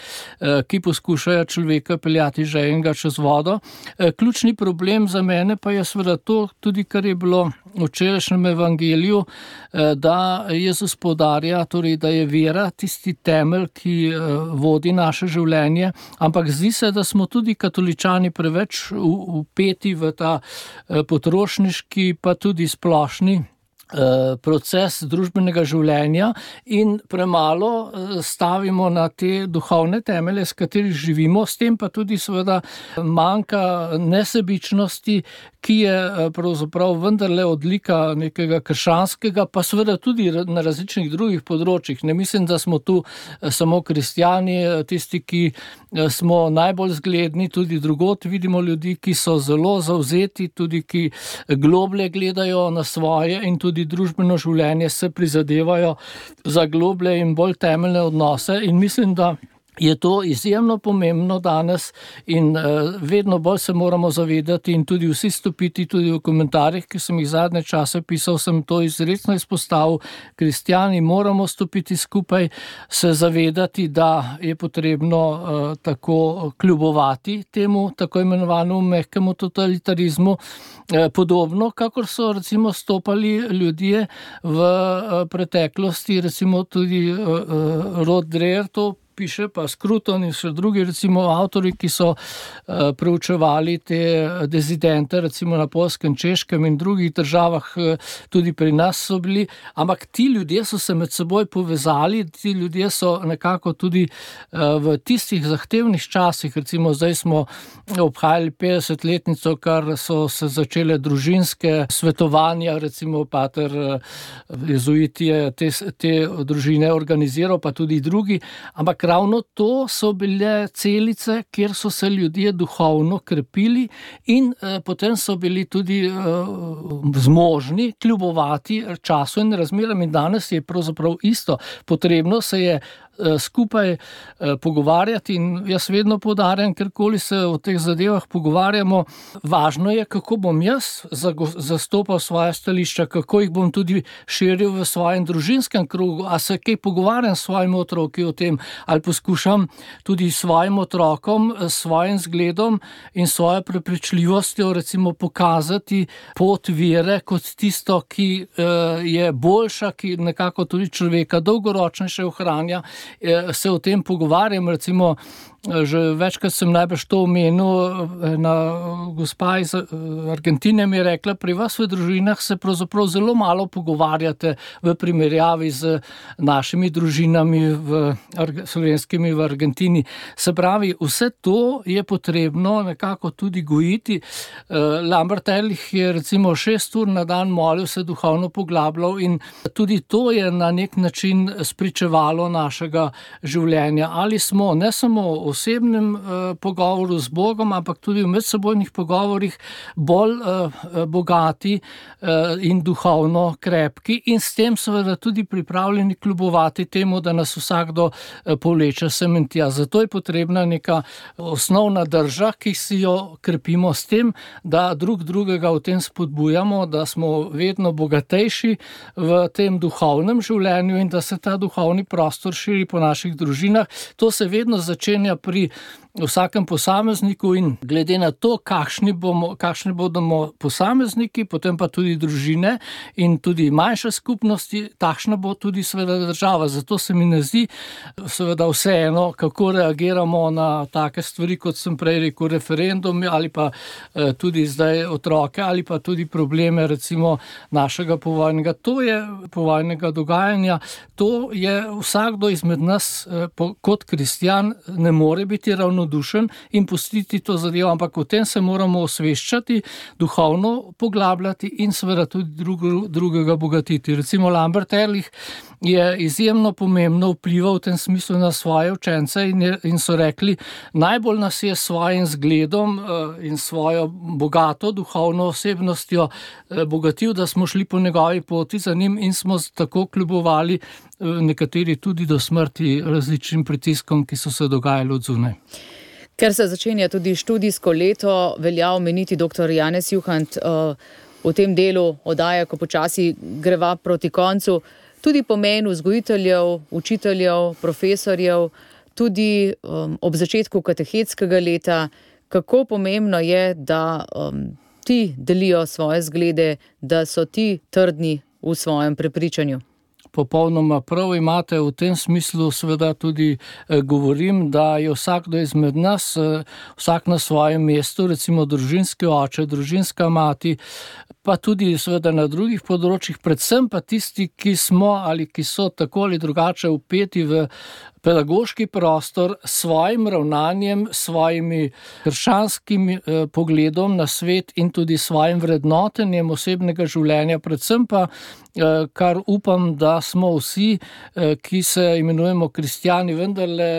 ki poskušajo človeka peljati že enega čez vodo. Ključni problem za mene pa je seveda to, tudi kar je bilo v včerajšnjem evangeliju, da Jezus poudarja, torej, da je vera tisti temelj, ki vodi naše življenje, ampak zdi se, da smo tudi katoličani preveč vpeti v ta potrošniški, pa tudi splošni proces družbenega življenja in premalo stavimo na te duhovne temelje, s katerih živimo, s tem pa tudi seveda manjka nesebičnosti, ki je pravzaprav vendarle odlika nekega krščanskega, pa seveda tudi na različnih drugih področjih. Ne mislim, da smo tu samo kristjani, tisti, ki smo najbolj zgledni, tudi drugod vidimo ljudi, ki so zelo zavzeti, tudi ki globlje gledajo na svoje in tudi družbeno življenje se prizadevajo za globlje in bolj temeljne odnose in mislim, da je to izjemno pomembno danes in uh, vedno bolj se moramo zavedati in tudi vsi stopiti, tudi v komentarjih, ki sem jih zadnje čase pisal, sem to izrecno izpostavil. Kristjani moramo stopiti skupaj, se zavedati, da je potrebno uh, tako kljubovati temu tako imenovanemu mehkemu totalitarizmu, uh, podobno, kakor so recimo stopali ljudje v uh, preteklosti, recimo tudi uh, uh, Rod Dreher to piše, pa Scruton in še drugi recimo avtori, ki so uh, preučevali te dezidente, recimo na Poljskem, Češkem in drugih državah, uh, tudi pri nas so bili, ampak ti ljudje so se med seboj povezali, ti ljudje so nekako tudi uh, v tistih zahtevnih časih, recimo zdaj smo obhajali petdesetletnico, kar so se začele družinske svetovanja, recimo pater uh, jezuit je te, te družine organiziral, pa tudi drugi, ampak ravno to so bile celice, kjer so se ljudje duhovno krepili in eh, potem so bili tudi eh, zmožni kljubovati času in razmeram in danes je pravzaprav isto. Potrebno se je skupaj pogovarjati in jaz vedno poudarjam, kjerkoli se o teh zadevah pogovarjamo, važno je, kako bom jaz zastopal svoje stališča, kako jih bom tudi širil v svojem družinskem krogu, a se kaj pogovarjam s svojimi otroki o tem, ali poskušam tudi svojim otrokom, svojim zgledom in svojo prepričljivostjo recimo pokazati pot vere kot tisto, ki je boljša, ki nekako tudi človeka dolgoročnejše ohranja. Se o tem pogovarjam, recimo že večkrat sem najbrž to omenil, ena gospa iz Argentine mi je rekla, pri vas v družinah se pravzaprav zelo malo pogovarjate v primerjavi z našimi družinami v slovenskimi v Argentini. Se pravi, vse to je potrebno nekako tudi gojiti. Lambert Ehrlich je recimo šest ur na dan molil, se duhovno poglabljal in tudi to je na nek način spričevalo našega življenja. Ali smo ne samo osebnem uh, pogovoru z Bogom, ampak tudi v medsebojnih pogovorih bolj uh, bogati uh, in duhovno krepki in s tem seveda tudi pripravljeni kljubovati temu, da nas vsakdo uh, povleče sem in tja. Zato je potrebna neka osnovna drža, ki si jo krepimo s tem, da drug drugega v tem spodbujamo, da smo vedno bogatejši v tem duhovnem življenju in da se ta duhovni prostor širi po naših družinah. To se vedno začenja pri vsakem posamezniku in glede na to, kakšni bomo, kakšni bodo posamezniki, potem pa tudi družine in tudi manjše skupnosti, takšna bo tudi seveda država. Zato se mi ne zdi seveda vseeno, kako reagiramo na take stvari, kot sem prej rekel, referendum ali pa eh, tudi zdaj otroke ali pa tudi probleme recimo našega povojnega. To je povojnega dogajanja, to je vsakdo izmed nas eh, po, kot kristjan ne more biti ravnodušen in pustiti to zadevo, ampak o tem se moramo osveščati, duhovno poglabljati in seveda tudi drug, drugega bogatiti. Recimo Lambert Ehrlich je izjemno pomembno vplival v tem smislu na svoje učence in, je, in so rekli, najbolj nas je svojim zgledom in svojo bogato duhovno osebnostjo bogatil, da smo šli po njegovi poti za njim in smo tako kljubovali nekateri tudi do smrti različnim pritiskom, ki so se dogajali od zunaj. Ker se začenja tudi študijsko leto, velja omeniti doktor Janez Juhant v tem delu oddaje, ko počasi greva proti koncu, tudi pomen vzgojiteljev, učiteljev, profesorjev, tudi um, ob začetku katehetskega leta, kako pomembno je, da um, ti delijo svoje zglede, da so ti trdni v svojem prepričanju. Popolnoma prav imate, v tem smislu seveda tudi eh, govorim, da je vsakdo izmed nas, eh, vsak na svojem mestu, recimo družinski oče, družinska mati, pa tudi seveda na drugih področjih, predvsem pa tisti, ki smo ali ki so tako ali drugače vpeti v pedagoški prostor s svojim ravnanjem, svojimi krščanskim eh, pogledom na svet in tudi svojim vrednotenjem osebnega življenja, predvsem pa, eh, kar upam, da smo vsi, eh, ki se imenujemo kristjani, vendarle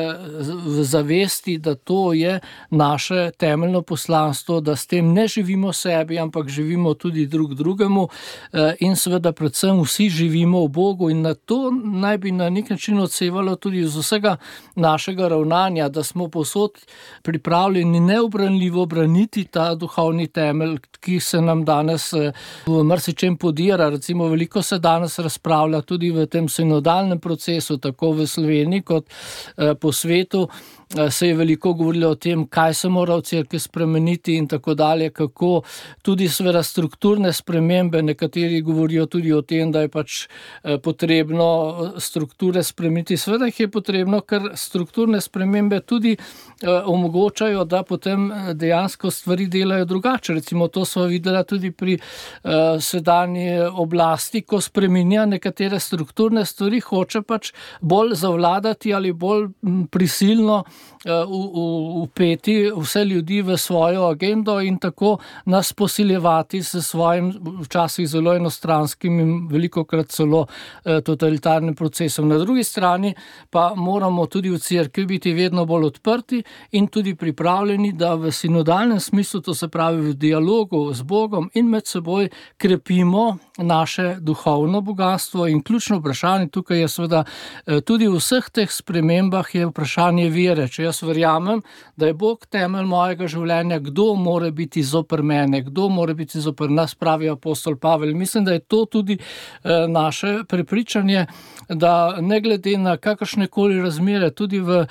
v zavesti, da to je naše temeljno poslanstvo, da s tem ne živimo sebi, ampak živimo tudi drug drugemu eh, in seveda predvsem vsi živimo v Bogu in na to naj bi na nek način odsevalo tudi z vsega našega ravnanja, da smo povsod pripravljeni neobranljivo braniti ta duhovni temelj, ki se nam danes v marsičem podira. Recimo veliko se danes razpravlja tudi v tem sinodalnem procesu, tako v Sloveniji kot po svetu. Se je veliko govorilo o tem, kaj se mora v cerkvi spremeniti in tako dalje, kako tudi seveda strukturne spremembe, nekateri govorijo tudi o tem, da je pač potrebno strukture spremeniti. Seveda jih je potrebno, ker strukturne spremembe tudi omogočajo, da potem dejansko stvari delajo drugače. Recimo to smo videli tudi pri sedanji oblasti, ko spreminja nekatere strukturne stvari, hoče pač bolj zavladati ali bolj prisilno vpeti vse ljudi v svojo agendo in tako nas posiljevati s svojim včasih zelo enostranskim in velikokrat celo totalitarnim procesom. Na drugi strani pa mora moramo tudi v cerkvi biti vedno bolj odprti in tudi pripravljeni, da v sinodalnem smislu, to se pravi v dialogu z Bogom in med seboj, krepimo naše duhovno bogatstvo. In ključno vprašanje tukaj je seveda tudi v vseh teh spremembah je vprašanje vere. Če jaz verjamem, da je Bog temelj mojega življenja, kdo more biti zoper mene, kdo more biti zoper nas, pravi apostol Pavel. Mislim, da je to tudi naše prepričanje, da ne glede na kakršne koli razmere, tudi v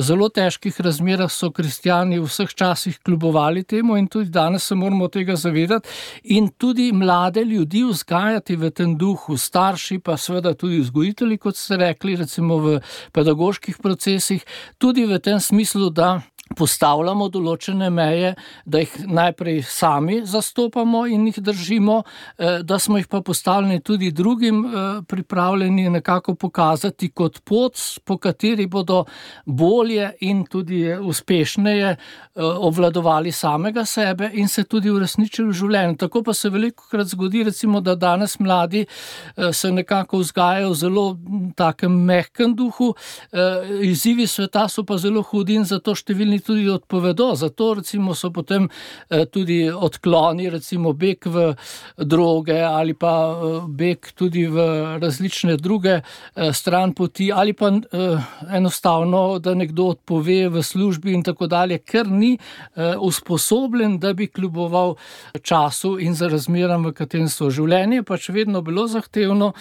zelo težkih razmerah so kristjani v vseh časih kljubovali temu in tudi danes se moramo tega zavedati in tudi mlade ljudi vzgajati v tem duhu, starši pa seveda tudi vzgojitelji, kot ste rekli, recimo v pedagoških procesih, tudi v tem smislu, da postavljamo določene meje, da jih najprej sami zastopamo in jih držimo, da smo jih pa postavljeni tudi drugim pripravljeni nekako pokazati kot pot, po kateri bodo bolje in tudi uspešneje obvladovali samega sebe in se tudi uresničili v življenju. Tako pa se velikokrat zgodi, recimo, da danes mladi se nekako vzgajajo v zelo takem mehkem duhu, izzivi sveta so pa zelo hudi in zato številni tudi odpovedo, zato recimo so potem tudi odkloni, recimo beg v droge ali pa beg tudi v različne druge stran poti ali pa enostavno, da nekdo odpove v službi in tako dalje, ker ni usposobljen, da bi kljuboval času in za razmeram, v katerem so. Življenje pač vedno bilo zahtevno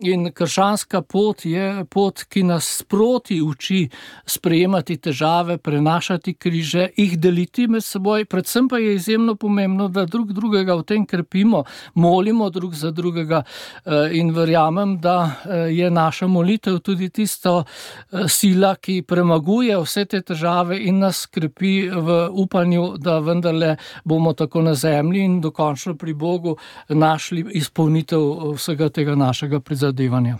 in krščanska pot je pot, ki nas sproti uči sprejemati težave, prenašati križe, jih deliti med seboj, predvsem pa je izjemno pomembno, da drug drugega v tem krepimo, molimo drug za drugega in verjamem, da je naša molitev tudi tisto sila, ki premaguje vse te težave in nas krepi v upanju, da vendarle bomo tako na zemlji in dokončno pri Bogu našli izpolnitev vsega tega našega prizadevanja.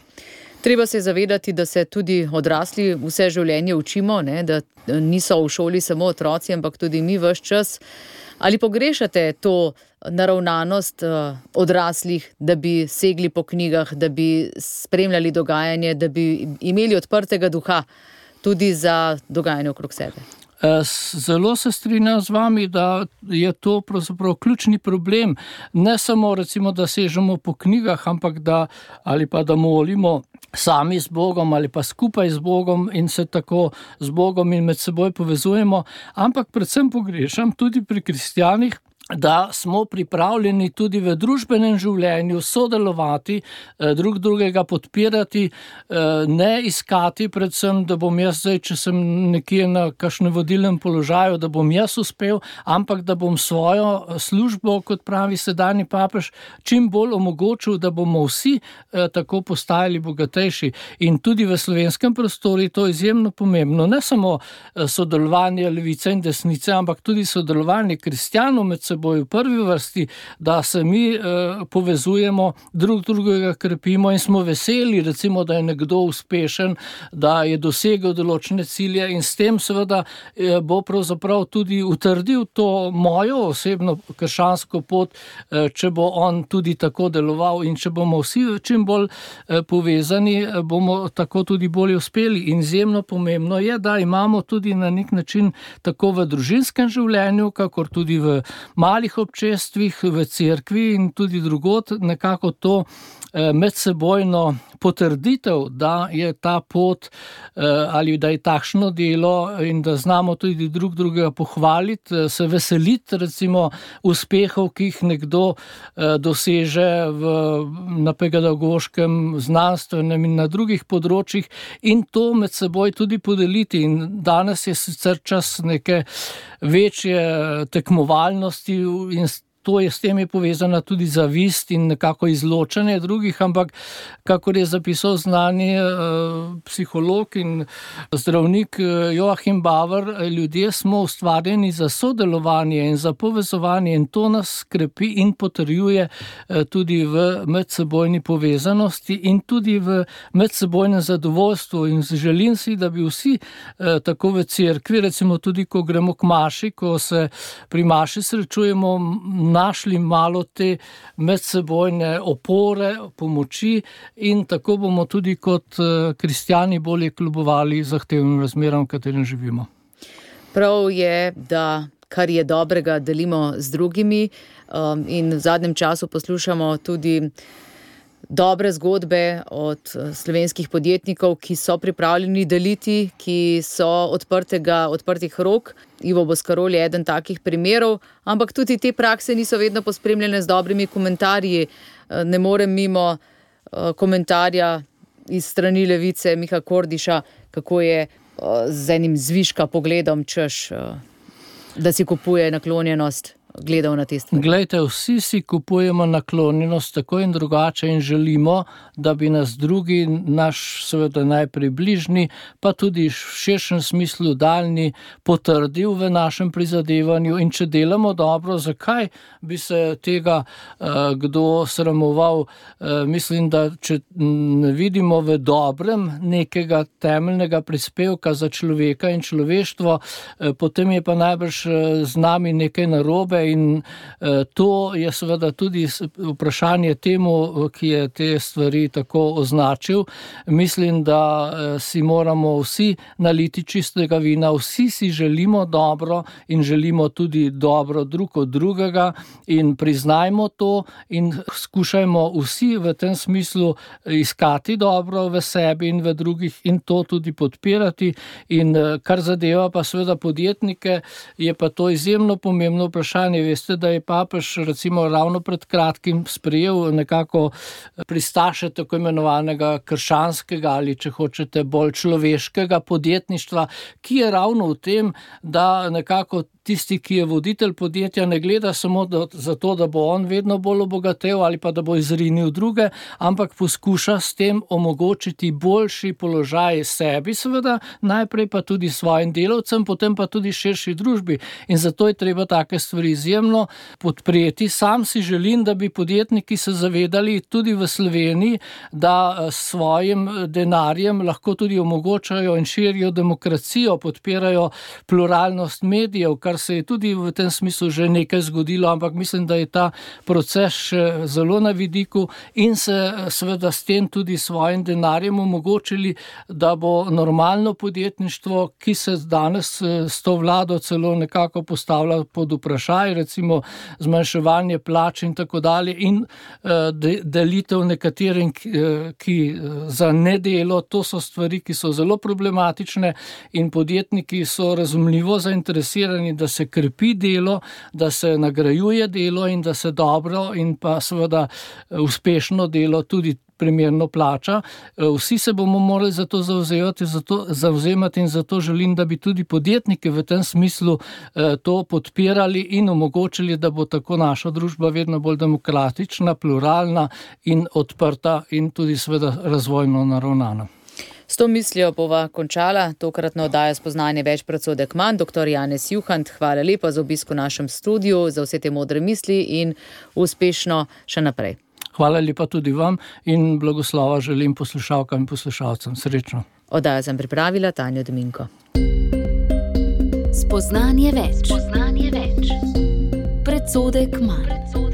Treba se zavedati, da se tudi odrasli vse življenje učimo, ne? Da niso v šoli samo otroci, ampak tudi mi ves čas. Ali pogrešate to naravnanost odraslih, da bi segli po knjigah, da bi spremljali dogajanje, da bi imeli odprtega duha tudi za dogajanje okrog sebe? Zelo se strinjam z vami, da je to pravzaprav ključni problem. Ne samo recimo, da sežemo po knjigah, ampak da ali pa da molimo sami z Bogom ali pa skupaj z Bogom in se tako z Bogom in med seboj povezujemo, ampak predvsem pogrešam tudi pri kristjanih, da smo pripravljeni tudi v družbenem življenju sodelovati, drug drugega podpirati, ne iskati predvsem, da bom jaz zdaj, če sem nekje na kakšnem vodilnem položaju, da bom jaz uspel, ampak da bom svojo službo, kot pravi sedanji papež, čim bolj omogočil, da bomo vsi tako postajali bogatejši. In tudi v slovenskem prostoru je to izjemno pomembno. Ne samo sodelovanje levice in desnice, ampak tudi sodelovanje kristjanov med seboj, v prvi vrsti, da se mi eh, povezujemo, drug drugega krepimo in smo veseli, recimo, da je nekdo uspešen, da je dosegel določene cilje in s tem seveda eh, bo pravzaprav tudi utrdil to mojo osebno krščansko pot, eh, če bo on tudi tako deloval in če bomo vsi čim bolj eh, povezani, eh, bomo tako tudi bolje uspeli. In izjemno pomembno je, da imamo tudi na nek način tako v družinskem življenju, kakor tudi v malih občestvih, v cerkvi in tudi drugod nekako to medsebojno potrditev, da je ta pot ali da je takšno delo in da znamo tudi drug drugega pohvaliti, se veseliti recimo uspehov, ki jih nekdo doseže v, na pedagoškem, znanstvenem in na drugih področjih in to med seboj tudi podeliti. In danes je sicer čas neke večje tekmovalnosti in to je s tem je povezana tudi zavist in nekako izločanje drugih, ampak kakor je zapisal znani eh, psiholog in zdravnik Joachim Bauer, ljudje smo ustvarjeni za sodelovanje in za povezovanje in to nas krepi in potrjuje eh, tudi v medsebojni povezanosti in tudi v medsebojnem zadovoljstvu in želim si, da bi vsi eh, tako v cerkvi, recimo tudi ko gremo k maši, ko se pri maši srečujemo našli malo te medsebojne opore, pomoči in tako bomo tudi kot kristjani bolje kljubovali zahtevnim razmeram, v katerem živimo. Prav je, da kar je dobrega delimo z drugimi in v zadnjem času poslušamo tudi dobre zgodbe od slovenskih podjetnikov, ki so pripravljeni deliti, ki so odprtega, odprtih rok. Ivo Boscarol je eden takih primerov, ampak tudi te prakse niso vedno pospremljene z dobrimi komentarji. Ne morem mimo komentarja iz strani Levice Miha Kordiša, kako je z enim zviška pogledom, češ, da si kupuje naklonjenost, gledal na te stvari. Glejte, vsi si kupujemo naklonjenost tako in drugače in želimo, da bi nas drugi, naš seveda najprej bližnji, pa tudi v širšem smislu daljni, potrdil v našem prizadevanju in če delamo dobro, zakaj bi se tega uh, kdo sramoval? Uh, mislim, da če ne vidimo v dobrem nekega temeljnega prispevka za človeka in človeštvo, uh, potem je pa najbrž z nami nekaj narobe. In uh, to je seveda tudi vprašanje temu, ki je te stvari tako označil. Mislim, da uh, si moramo vsi naliti čistega vina, vsi si želimo dobro in želimo tudi dobro drug od drugega in priznajmo to in skušajmo vsi v tem smislu iskati dobro v sebi in v drugih in to tudi podpirati. In uh, kar zadeva pa seveda podjetnike, je pa to izjemno pomembno vprašanje. Veste, da je papež recimo ravno pred kratkim sprejel nekako pristaše tako imenovanega krščanskega ali če hočete bolj človeškega podjetništva, ki je ravno v tem, da nekako tisti, ki je voditelj podjetja, ne gleda samo do, za to, da bo on vedno bolj obogatel ali pa da bo izrinil druge, ampak poskuša s tem omogočiti boljši položaj sebi seveda, najprej pa tudi svojim delavcem, potem pa tudi širši družbi. In zato je treba take stvari izjemno podpreti. Sam si želim, da bi podjetniki se zavedali tudi v Sloveniji, da s svojim denarjem lahko tudi omogočajo in širijo demokracijo, podpirajo pluralnost medijev, kar se je tudi v tem smislu že nekaj zgodilo, ampak mislim, da je ta proces še zelo na vidiku in se seveda s tem tudi svojim denarjem omogočili, da bo normalno podjetništvo, ki se danes s to vlado celo nekako postavlja pod vprašaj, recimo zmanjševanje plač in tako dalje in delitev nekaterim, ki za nedelo, to so stvari, ki so zelo problematične in podjetniki so razumljivo zainteresirani, da se krepi delo, da se nagrajuje delo in da se dobro in pa seveda uspešno delo tudi primerno plača. Vsi se bomo morali za to zavzemati, zato, zavzemati in zato želim, da bi tudi podjetniki v tem smislu eh, to podpirali in omogočili, da bo tako naša družba vedno bolj demokratična, pluralna in odprta in tudi seveda razvojno naravnana. S to mislijo bova končala tokratno oddajo Spoznanje več predsodek manj. Doktor Janez Juhant, hvala lepa za obisk v našem studiu, za vse te modre misli in uspešno še naprej. Hvala lepa tudi vam in blagoslova želim poslušalkam in poslušalcem. Srečno. Oddajo sem pripravila Tanja Dominko. Spoznanje več. Spoznanje več. Predsodek manj.